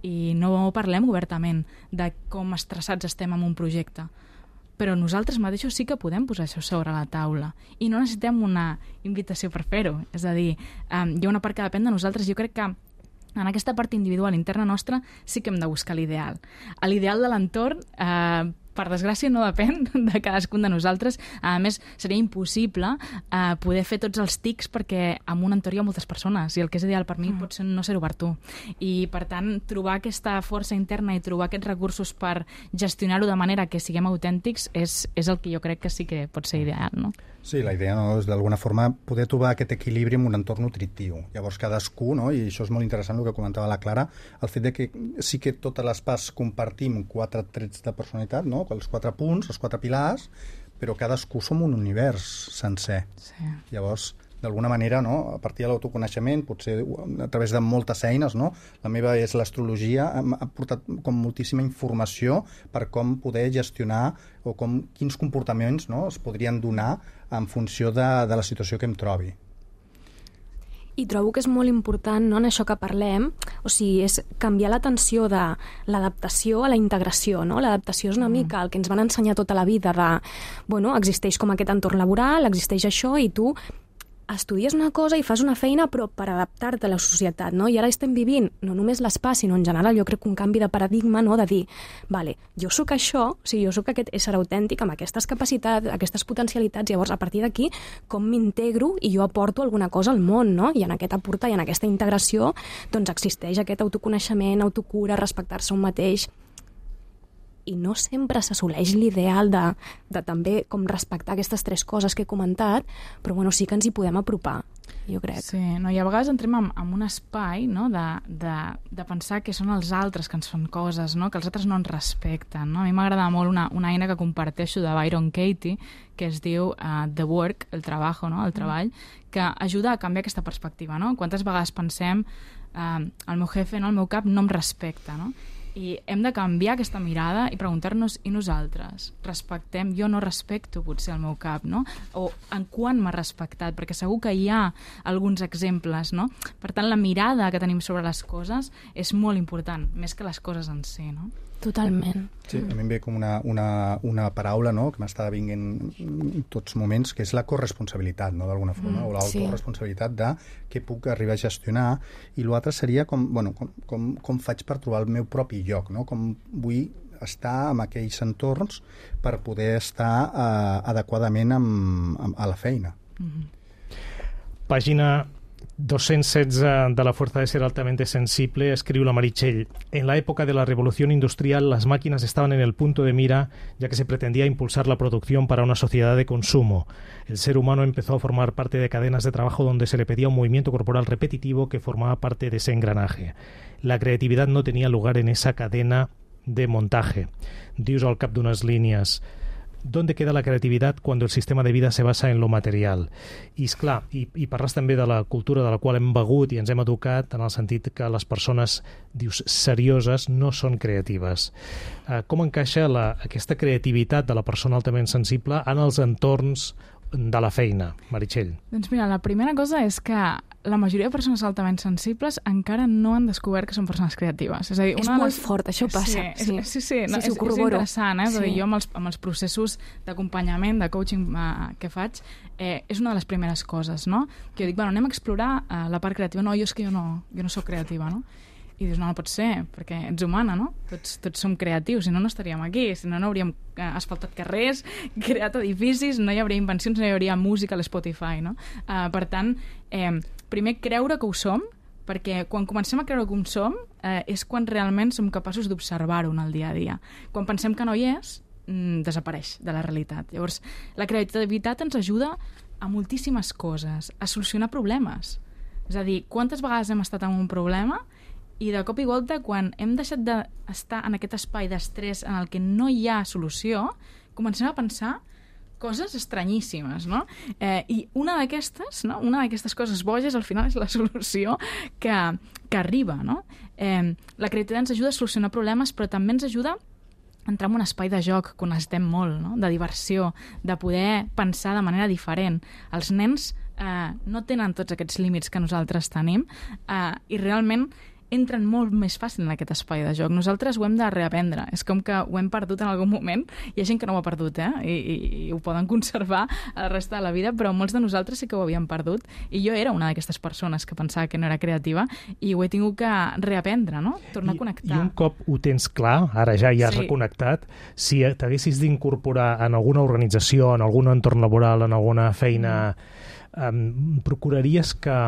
i no parlem obertament de com estressats estem en un projecte, però nosaltres mateixos sí que podem posar això sobre la taula i no necessitem una invitació per fer-ho, és a dir, eh, hi ha una part que depèn de nosaltres. Jo crec que en aquesta part individual interna nostra sí que hem de buscar l'ideal. L'ideal de l'entorn, eh, per desgràcia, no depèn de cadascun de nosaltres. A més, seria impossible eh, poder fer tots els tics perquè en un entorn hi ha moltes persones i el que és ideal per mi mm. pot ser no ser-ho per tu. I, per tant, trobar aquesta força interna i trobar aquests recursos per gestionar-ho de manera que siguem autèntics és, és el que jo crec que sí que pot ser ideal, no? Sí, la idea no, és d'alguna forma poder trobar aquest equilibri en un entorn nutritiu. Llavors cadascú, no? I això és molt interessant el que comentava la Clara, el fet de que sí que totes les parts compartim quatre trets de personalitat, no? Els quatre punts, els quatre pilars, però cadascú som un univers sencer. Sí. Llavors, d'alguna manera, no? A partir de l'autoconeixement, potser a través de moltes eines, no? La meva és l'astrologia, ha portat com moltíssima informació per com poder gestionar o com, quins comportaments, no? Es podrien donar en funció de, de la situació que em trobi. I trobo que és molt important, no, en això que parlem, o sigui, és canviar l'atenció de l'adaptació a la integració, no? L'adaptació és una mm. mica el que ens van ensenyar tota la vida de, bueno, existeix com aquest entorn laboral, existeix això, i tu estudies una cosa i fas una feina però per adaptar-te a la societat, no? I ara estem vivint no només l'espai, sinó en general jo crec que un canvi de paradigma, no? De dir, vale, jo sóc això, o sigui, jo sóc aquest ésser autèntic amb aquestes capacitats, aquestes potencialitats, llavors a partir d'aquí com m'integro i jo aporto alguna cosa al món, no? I en aquest aportar i en aquesta integració doncs existeix aquest autoconeixement, autocura, respectar-se un mateix, i no sempre s'assoleix l'ideal de, de també com respectar aquestes tres coses que he comentat, però bueno, sí que ens hi podem apropar, jo crec. Sí, no, i a vegades entrem en, en un espai, no?, de, de, de pensar que són els altres que ens fan coses, no?, que els altres no ens respecten, no? A mi m'agrada molt una, una eina que comparteixo de Byron Katie, que es diu uh, The Work, el trabajo, no?, el treball, que ajuda a canviar aquesta perspectiva, no? Quantes vegades pensem uh, el meu jefe, no?, el meu cap no em respecta, no? I hem de canviar aquesta mirada i preguntar-nos, i nosaltres? Respectem? Jo no respecto potser el meu cap, no? O en quan m'ha respectat? Perquè segur que hi ha alguns exemples, no? Per tant, la mirada que tenim sobre les coses és molt important, més que les coses en si, no? Totalment. Sí, a mi em ve com una, una, una paraula, no?, que m'està vinguent en tots moments, que és la corresponsabilitat, no?, d'alguna forma, mm, o l'autoresponsabilitat sí. de què puc arribar a gestionar, i l'altre seria com, bueno, com, com, com faig per trobar el meu propi lloc, no?, com vull estar en aquells entorns per poder estar eh, adequadament amb, amb, a la feina. Mm-hmm. Pàgina doscientos setze de la Fuerza de Ser Altamente Sensible, escribe la Meritxell: en la época de la revolución industrial las máquinas estaban en el punto de mira, ya que se pretendía impulsar la producción para una sociedad de consumo. El ser humano empezó a formar parte de cadenas de trabajo donde se le pedía un movimiento corporal repetitivo que formaba parte de ese engranaje. La creatividad no tenía lugar en esa cadena de montaje. Dius al cap d'unes línies: ¿dónde queda la creatividad cuando el sistema de vida se basa en lo material? I, esclar, i, i parles també de la cultura de la qual hem begut i ens hem educat, en el sentit que les persones, dius, serioses no són creatives. Uh, com encaixa la, aquesta creativitat de la persona altament sensible en els entorns de la feina, Meritxell? Doncs mira, la primera cosa és que la majoria de persones altament sensibles encara no han descobert que són persones creatives. És a dir, és una molt les... fort, això passa. Sí, sí, sí, sí, no, sí, sí, és, és interessant, eh? Sí. Jo amb els, amb els processos d'acompanyament, de coaching uh, que faig, eh, és una de les primeres coses, no? Que jo dic, bueno, anem a explorar uh, la part creativa. No, jo és que jo no, jo no soc creativa, no? I dius, no, no pot ser, perquè ets humana, no? Tots, tots som creatius, si no, no estaríem aquí, si no, no hauríem eh, asfaltat carrers, creat edificis, no hi hauria invencions, no hi hauria música a l'Spotify, no? Uh, per tant, eh, primer creure que ho som, perquè quan comencem a creure que ho som eh, és quan realment som capaços d'observar-ho en el dia a dia. Quan pensem que no hi és, mm, desapareix de la realitat. Llavors, la creativitat ens ajuda a moltíssimes coses, a solucionar problemes. És a dir, quantes vegades hem estat en un problema i de cop i volta, quan hem deixat d'estar en aquest espai d'estrès en el que no hi ha solució, comencem a pensar coses estranyíssimes, no? Eh, I una d'aquestes, no? Una d'aquestes coses boges, al final és la solució que, que arriba, no? Eh, la creativitat ens ajuda a solucionar problemes, però també ens ajuda a entrar en un espai de joc que necessitem molt, no? De diversió, de poder pensar de manera diferent. Els nens eh, no tenen tots aquests límits que nosaltres tenim eh, i realment entren molt més fàcil en aquest espai de joc. Nosaltres ho hem de reaprendre. És com que ho hem perdut en algun moment. Hi ha gent que no ho ha perdut, eh? I, i, i ho poden conservar a la resta de la vida, però molts de nosaltres sí que ho havíem perdut. I jo era una d'aquestes persones que pensava que no era creativa i ho he tingut que reaprendre, no? Tornar I, a connectar. I un cop ho tens clar, ara ja hi has sí. reconnectat, si t'haguessis d'incorporar en alguna organització, en algun entorn laboral, en alguna feina, mm. um, procuraries que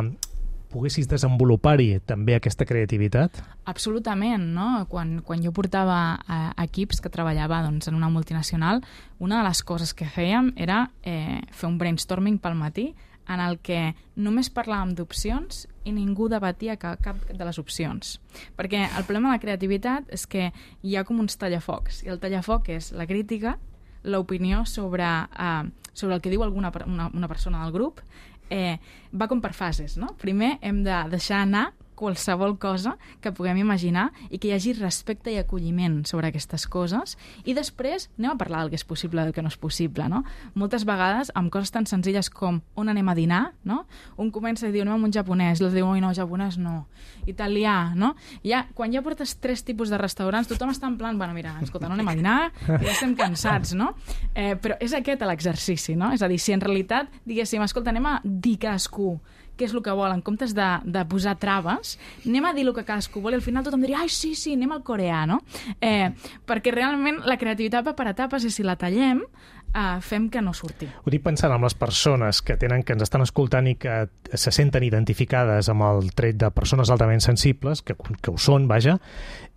poguessis desenvolupar-hi també aquesta creativitat? Absolutament, no? Quan, quan jo portava eh, equips que treballava doncs, en una multinacional, una de les coses que fèiem era eh, fer un brainstorming pel matí en el que només parlàvem d'opcions i ningú debatia cap, cap de les opcions. Perquè el problema de la creativitat és que hi ha com uns tallafocs, i el tallafoc és la crítica, l'opinió sobre, eh, sobre el que diu alguna una, una persona del grup. Eh, va com per fases, no? Primer hem de deixar anar qualsevol cosa que puguem imaginar i que hi hagi respecte i acolliment sobre aquestes coses. I després anem a parlar del que és possible i del que no és possible, no? Moltes vegades, amb coses tan senzilles com on anem a dinar, no? Un comença i diu, anem a un japonès, l'altre diu, oi, no, japonès no. Italià, no? I ja, quan ja portes tres tipus de restaurants, tothom està en plan, bueno, mira, escolta, no anem a dinar, que ja estem cansats, no? Eh, però és aquest l'exercici, no? És a dir, si en realitat, diguéssim, escolta, anem a dir cadascú què és el que vol, en comptes de, de posar traves, anem a dir el que cadascú vol i al final tothom diria, ai, sí, sí, anem al coreà, no? Eh, perquè realment la creativitat va per etapes i si la tallem, eh, fem que no surti. Ho dic pensant en les persones que tenen que ens estan escoltant i que se senten identificades amb el tret de persones altament sensibles, que, que ho són, vaja,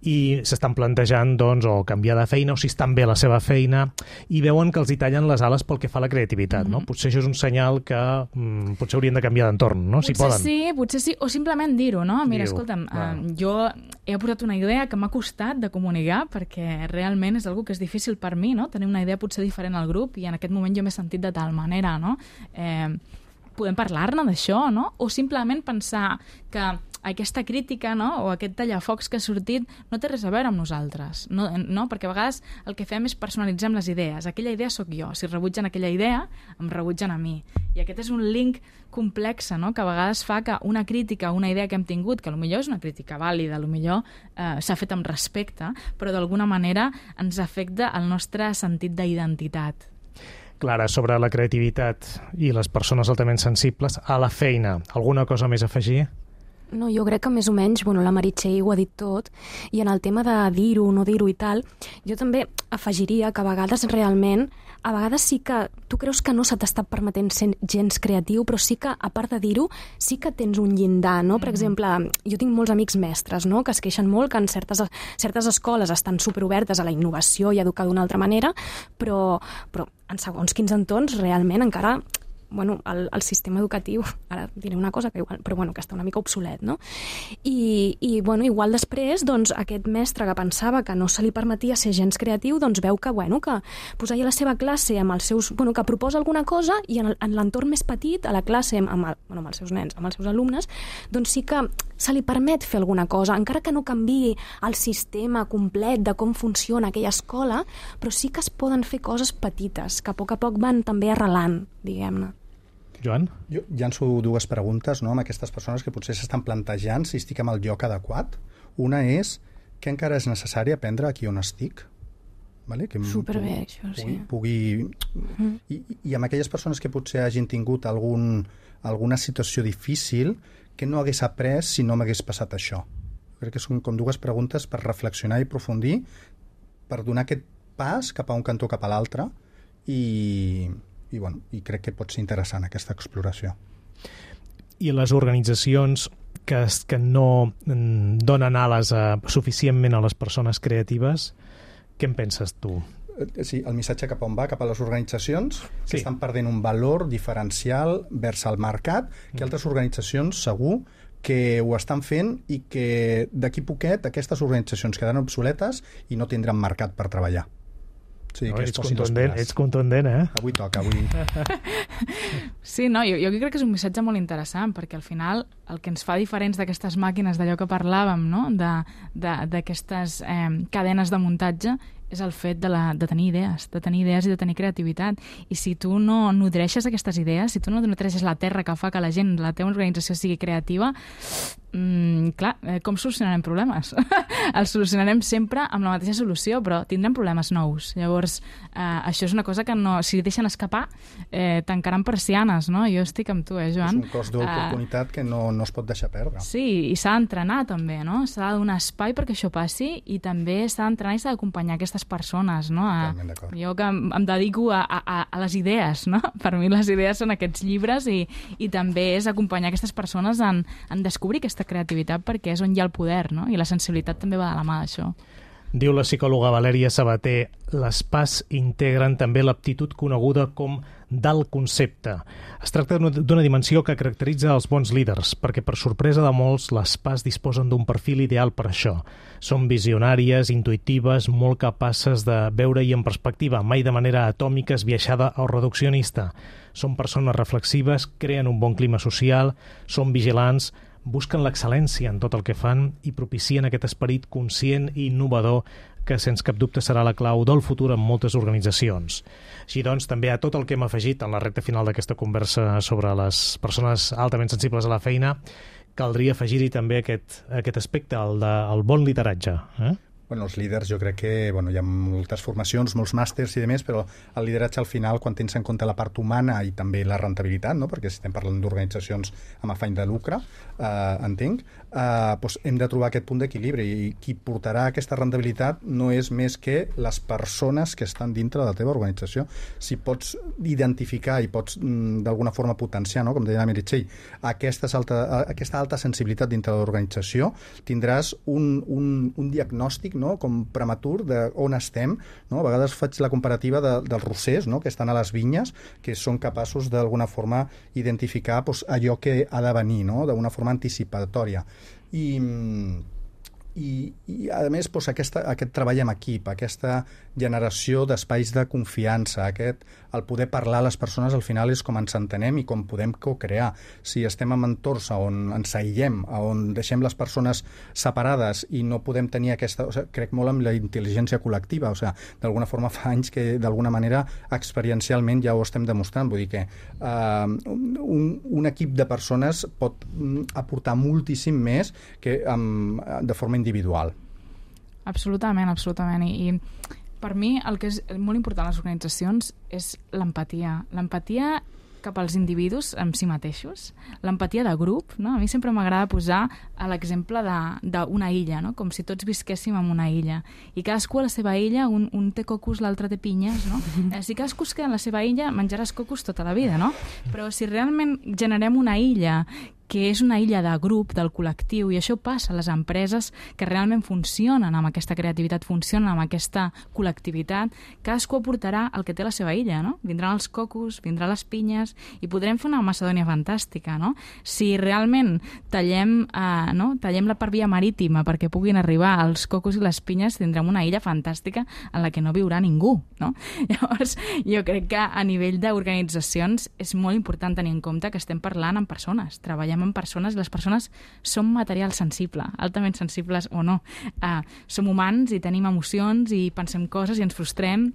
i s'estan plantejant doncs, o canviar de feina o si estan bé a la seva feina i veuen que els hi tallen les ales pel que fa a la creativitat. Mm-hmm. No? Potser això és un senyal que mm, potser haurien de canviar d'entorn, no? Si potser poden. sí, potser sí, o simplement dir-ho, no? Mira, Diu, escolta'm, eh, jo he aportat una idea que m'ha costat de comunicar perquè realment és algo que és difícil per mi, no? Tenir una idea potser diferent al grup i en aquest moment jo m'he sentit de tal manera, no? Eh, podem parlar-ne d'això, no? O simplement pensar que aquesta crítica, no? O aquest tallafocs que ha sortit no té res a veure amb nosaltres, no? No? Perquè a vegades el que fem és personalitzar les idees. Aquella idea sóc jo. Si rebutgen aquella idea, em rebutgen a mi. I aquest és un link complex, no? Que a vegades fa que una crítica, una idea que hem tingut, que potser és una crítica vàlida, potser eh, s'ha fet amb respecte, però d'alguna manera ens afecta el nostre sentit d'identitat. Clara, sobre la creativitat i les persones altament sensibles, a la feina, alguna cosa més a afegir? No, jo crec que més o menys, bueno, la Meritxell ho ha dit tot, i en el tema de dir-ho, no dir-ho i tal, jo també afegiria que a vegades realment, a vegades sí que tu creus que no se t'està permetent ser gens creatiu, però sí que, a part de dir-ho, sí que tens un llindar, no? Per exemple, jo tinc molts amics mestres, no?, que es queixen molt que en certes, certes escoles estan superobertes a la innovació i a educar d'una altra manera, però, però en segons quins entorns realment encara bueno, el, el sistema educatiu, ara diré una cosa que igual, però bueno, que està una mica obsolet, no? I, i bueno, igual després, doncs, aquest mestre que pensava que no se li permetia ser gens creatiu, doncs veu que, bueno, que posar a la seva classe amb els seus, bueno, que proposa alguna cosa i en, el, en l'entorn més petit, a la classe, amb, el, bueno, amb els seus nens, amb els seus alumnes, doncs sí que se li permet fer alguna cosa, encara que no canviï el sistema complet de com funciona aquella escola, però sí que es poden fer coses petites, que a poc a poc van també arrelant, diguem-ne. Joan? Jo llanço dues preguntes, no?, amb aquestes persones que potser s'estan plantejant si estic amb el lloc adequat. Una és, què encara és necessari aprendre aquí on estic? Vale? Que Superbé, això, sí. Pugui, pugui... Mm. I, I amb aquelles persones que potser hagin tingut algun, alguna situació difícil, que no hagués après si no m'hagués passat això? Crec que són com dues preguntes per reflexionar i aprofundir, per donar aquest pas cap a un cantó cap a l'altre i... I, bueno, i crec que pot ser interessant aquesta exploració. I les organitzacions que, que no donen ales a, suficientment a les persones creatives, què en penses tu? Sí, el missatge cap on va, cap a les organitzacions que sí. estan perdent un valor diferencial vers el mercat, que altres organitzacions segur que ho estan fent i que d'aquí poquet aquestes organitzacions quedaran obsoletes i no tindran mercat per treballar. Sí, no, ets, contundent, ets contundent, eh? Avui toca, avui. Sí, no, jo, jo crec que és un missatge molt interessant, perquè al final el que ens fa diferents d'aquestes màquines, d'allò que parlàvem, no?, d'aquestes eh, cadenes de muntatge, és el fet de, la, de tenir idees, de tenir idees i de tenir creativitat. I si tu no nodreixes aquestes idees, si tu no nodreixes la terra que fa que la gent, la teva organització sigui creativa, mmm, clar, eh, com solucionarem problemes? Els solucionarem sempre amb la mateixa solució, però tindrem problemes nous. Llavors, eh, això és una cosa que no, si deixen escapar, eh, tancaran persianes, no? Jo estic amb tu, eh, Joan? És un cost d'oportunitat uh, que no, no es pot deixar perdre. Sí, i s'ha d'entrenar també, no? S'ha de donar espai perquè això passi i també s'ha d'entrenar i s'ha d'acompanyar aquestes persones, no? A, jo que em, em dedico a, a, a les idees, no? Per mi les idees són aquests llibres i, i també és acompanyar aquestes persones en, en descobrir aquesta creativitat perquè és on hi ha el poder, no? I la sensibilitat també va de la mà d'això. Diu la psicòloga Valèria Sabater, les P A S integren també l'aptitud coneguda com d'alt concepte. Es tracta d'una dimensió que caracteritza els bons líders, perquè per sorpresa de molts, les P A S disposen d'un perfil ideal per això. Són visionàries, intuïtives, molt capaces de veure-hi en perspectiva, mai de manera atòmica, esbiaixada o reduccionista. Són persones reflexives, creen un bon clima social, són vigilants, busquen l'excel·lència en tot el que fan i propicien aquest esperit conscient i innovador que, sens cap dubte, serà la clau del futur en moltes organitzacions. Així doncs, també a tot el que hem afegit en la recta final d'aquesta conversa sobre les persones altament sensibles a la feina, caldria afegir-hi també aquest, aquest aspecte, el de el bon lideratge. Eh? Bueno, els líders, jo crec que bueno, hi ha moltes formacions, molts màsters i demés, però el lideratge al final, quan tens en compte la part humana i també la rentabilitat, no? Perquè si estem parlant d'organitzacions amb afany de lucre, eh, entenc, eh, doncs hem de trobar aquest punt d'equilibri, i qui portarà aquesta rentabilitat no és més que les persones que estan dintre de la teva organització. Si pots identificar i pots mm, d'alguna forma potenciar, no? Com deia la Meritxell, aquesta alta, aquesta alta sensibilitat dintre de l'organització, tindràs un, un, un diagnòstic, no? Com prematur d'on estem, no? A vegades faig la comparativa de, dels rossers, no? Que estan a les vinyes, que són capaços d'alguna forma identificar doncs, allò que ha de venir, no? D'una forma anticipatòria. I, i, i a més doncs, aquesta, aquest treball en equip, aquesta generació d'espais de confiança, aquest, el poder parlar a les persones al final és com ens entenem i com podem co-crear. Si estem en entorns on ens aïllem, on deixem les persones separades i no podem tenir aquesta... O sigui, crec molt en la intel·ligència col·lectiva, o sigui, d'alguna forma fa anys que d'alguna manera experiencialment ja ho estem demostrant, vull dir que uh, un, un equip de persones pot aportar moltíssim més que um, de forma individual. Absolutament, absolutament. I, i per mi el que és molt important a les organitzacions és l'empatia. L'empatia cap als individus en si mateixos, l'empatia de grup, no? A mi sempre m'agrada posar a l'exemple d'una illa, no? Com si tots visquéssim en una illa. I cadascú a la seva illa, un, un té cocos, l'altre té pinyes, no? Eh, si cadascú es queda en la seva illa, menjaràs cocos tota la vida, no? Però si realment generem una illa que és una illa de grup, del col·lectiu, i això passa a les empreses que realment funcionen amb aquesta creativitat, funcionen amb aquesta col·lectivitat, cadascú aportarà el que té la seva illa, no? Vindran els cocos, vindran les pinyes, i podrem fer una Macedònia fantàstica, no? Si realment tallem, eh, no? tallem la part via marítima perquè puguin arribar els cocos i les pinyes, tindrem una illa fantàstica en la que no viurà ningú, no? Llavors, jo crec que a nivell d'organitzacions és molt important tenir en compte que estem parlant amb persones, treballem amb persones, les persones són material sensible, altament sensibles o no. Uh, som humans i tenim emocions i pensem coses i ens frustrem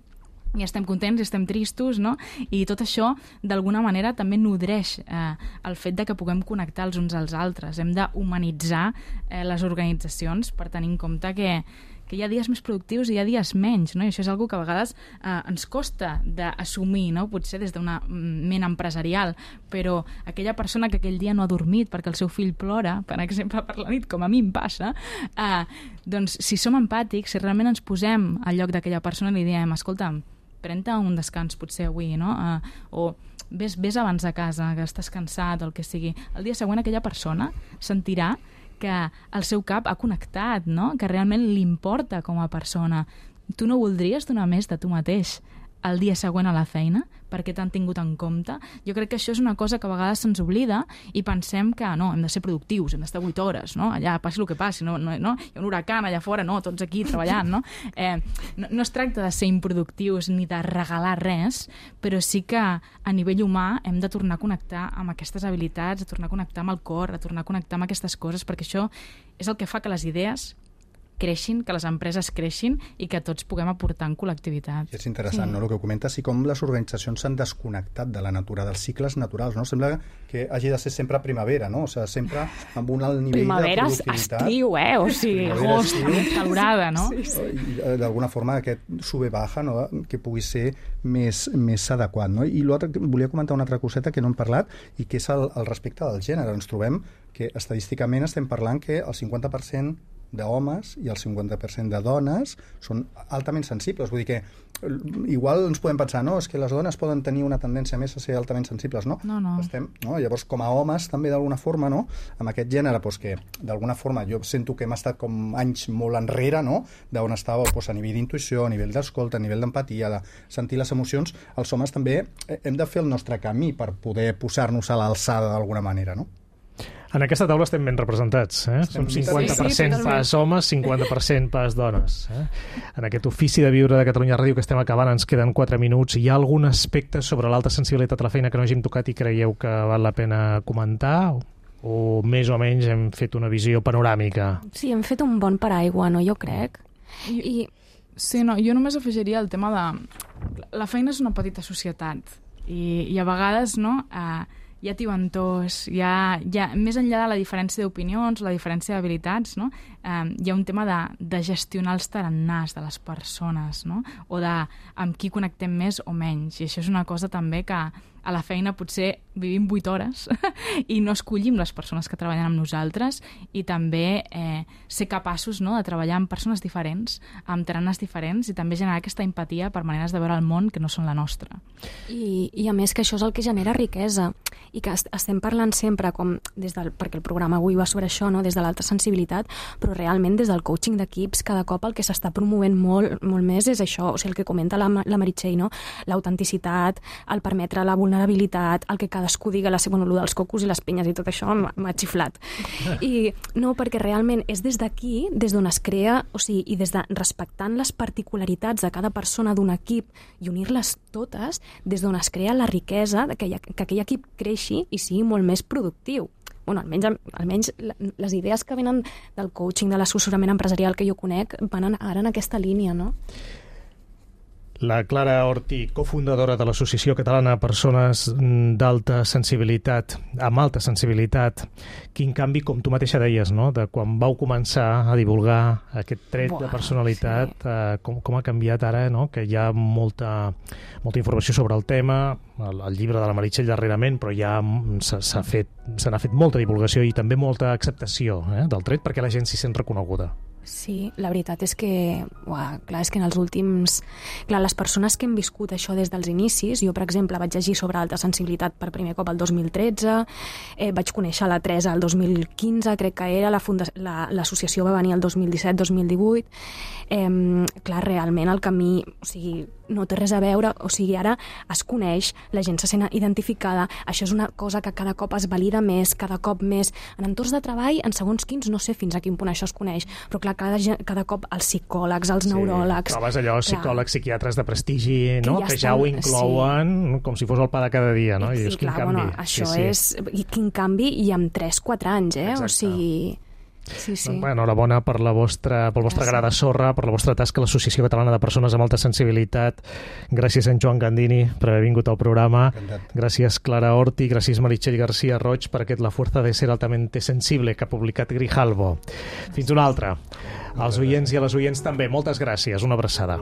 i estem contents i estem tristos, no? I tot això, d'alguna manera, també nodreix eh, el fet de que puguem connectar els uns als altres. Hem d'humanitzar eh, les organitzacions per tenir en compte que que hi ha dies més productius i hi ha dies menys, no? I això és una que a vegades eh, ens costa d'assumir, no? Potser des d'una ment empresarial, però aquella persona que aquell dia no ha dormit perquè el seu fill plora, per exemple, per la nit, com a mi em passa, eh, doncs si som empàtics, si realment ens posem al lloc d'aquella persona i li diem, escolta'm, pren-te un descans potser avui, no? Eh, o ves, ves abans de casa, que estàs cansat, o el que sigui. El dia següent aquella persona sentirà que el seu cap ha connectat, no? Que realment li importa com a persona. Tu no voldries donar més de tu mateix el dia següent a la feina perquè t'han tingut en compte? Jo crec que això és una cosa que a vegades se'ns oblida i pensem que no, hem de ser productius, hem d'estar vuit hores, no? Allà passi el que passi, no? No, no? Hi ha un huracan allà fora, no? Tots aquí treballant, no? Eh, no? No es tracta de ser improductius ni de regalar res, però sí que a nivell humà hem de tornar a connectar amb aquestes habilitats, a tornar a connectar amb el cor, a tornar a connectar amb aquestes coses, perquè això és el que fa que les idees creixin, que les empreses creixin i que tots puguem aportar en col·lectivitat. És interessant, sí. No?, el que comentes, i com les organitzacions s'han desconnectat de la natura, dels cicles naturals, no? Sembla que hagi de ser sempre primavera, no? O sigui, sempre amb un alt nivell primavera, de productivitat. Primavera, estiu, eh? O sigui, agost, calorada, no? Sí, sí. I d'alguna forma aquest sube-baja, no?, que pugui ser més, més adequat, no? I l'altre, volia comentar una altra coseta que no hem parlat i que és el, el respecte del gènere. Ens trobem que estadísticament estem parlant que el cinquanta per cent d'homes i el cinquanta per cent de dones són altament sensibles. Vull dir que igual ens podem pensar, no, és que les dones poden tenir una tendència més a ser altament sensibles, no? No, no. Estem, no? Llavors, com a homes, també d'alguna forma, no?, amb aquest gènere, doncs, que d'alguna forma jo sento que hem estat com anys molt enrere, no?, d'on estava doncs, a nivell d'intuïció, a nivell d'escolta, a nivell d'empatia, de sentir les emocions. Els homes també hem de fer el nostre camí per poder posar-nos a l'alçada d'alguna manera, no? En aquesta taula estem ben representats. Eh? Som cinquanta per cent sí, sí, pas homes, cinquanta per cent pas dones. Eh? En aquest ofici de viure de Catalunya Ràdio que estem acabant, ens queden quatre minuts. Hi ha algun aspecte sobre l'alta sensibilitat a la feina que no hàgim tocat i creieu que val la pena comentar? o més o menys hem fet una visió panoràmica? Sí, hem fet un bon paraigua, no? Jo crec. I... I... Sí, no, jo només afegiria el tema de... La feina és una petita societat i, i a vegades, no, eh, hi ha tibantors, hi ha, hi ha, més enllà de la diferència d'opinions, la diferència d'habilitats, no, eh, hi ha un tema de, de gestionar els tarannàs de les persones, no, o de amb qui connectem més o menys. I això és una cosa també que a la feina potser vivim vuit hores i no escollim les persones que treballen amb nosaltres, i també eh, ser capaços, no, de treballar amb persones diferents, amb tarannàs diferents, i també generar aquesta empatia per maneres de veure el món que no són la nostra. I, i a més que això és el que genera riquesa, i que est estem parlant sempre, com des del, perquè el programa avui va sobre això, no, des de l'alta sensibilitat, però realment des del coaching d'equips cada cop el que s'està promovent molt, molt més és això, o sigui, el que comenta la, la Meritxell, no? L'autenticitat, el permetre la vulnerabilitat, el que cadascú diga la seva, bueno, dels cocos i les penyes i tot això m'ha xiflat. I no, perquè realment és des d'aquí, des d'on es crea, o sigui, i des de respectant les particularitats de cada persona d'un equip i unir-les totes, des d'on es crea la riquesa de que, que aquell equip creixi i sigui molt més productiu. Bueno, almenys, almenys les idees que venen del coaching, de l'assessorament empresarial que jo conec, van ara en aquesta línia, no? La Clara Ortí, cofundadora de l'Associació Catalana de Persones d'Alta Sensibilitat, amb alta sensibilitat. Quin canvi, com tu mateixa deies, no? De quan vau començar a divulgar aquest tret Buah, de personalitat, sí. eh, com, com ha canviat ara, no? Que hi ha molta, molta informació sobre el tema, el, el llibre de la Meritxell darrerament, però ja s'ha fet, se n'ha fet molta divulgació i també molta acceptació, eh, del tret, perquè la gent s'hi sent reconeguda. Sí, la veritat és que, uah, clar, és que en els últims... Clar, les persones que hem viscut això des dels inicis, jo, per exemple, vaig llegir sobre alta sensibilitat per primer cop el dos mil tretze, eh, vaig conèixer la Teresa el dos mil quinze, crec que era, l'associació la, va venir el dos mil disset dos mil divuit. Eh, clar, realment el camí, o sigui, no té res a veure, o sigui, ara es coneix, la gent se sent identificada, això és una cosa que cada cop es valida més, cada cop més. En entorns de treball, en segons quins, no sé fins a quin punt això es coneix, però clar, cada, cada cop els psicòlegs, els sí, neuròlegs... Trobes allò, clar, psicòlegs, psiquiatres de prestigi, no? Que ja, que ja estan, ho inclouen, sí, com si fos el pa de cada dia, no? I sí, dius, quin clar, canvi. Bueno, això sí, sí. és... I quin canvi, i amb tres quatre anys, eh? Exacte. O sigui... Sí, sí. Doncs, enhorabona per la vostra, pel vostre gra de sorra, per la vostra tasca a l'Associació Catalana de Persones amb Alta Sensibilitat. Gràcies, en Joan Gandini, per haver vingut al programa. Encantat. Gràcies, Clara Ortí. Gràcies, Meritxell García Roig, per aquest La fuerza de ser altamente sensible que ha publicat Grijalbo. Fins una altra. Als oients i a les oients també, moltes gràcies. Una abraçada.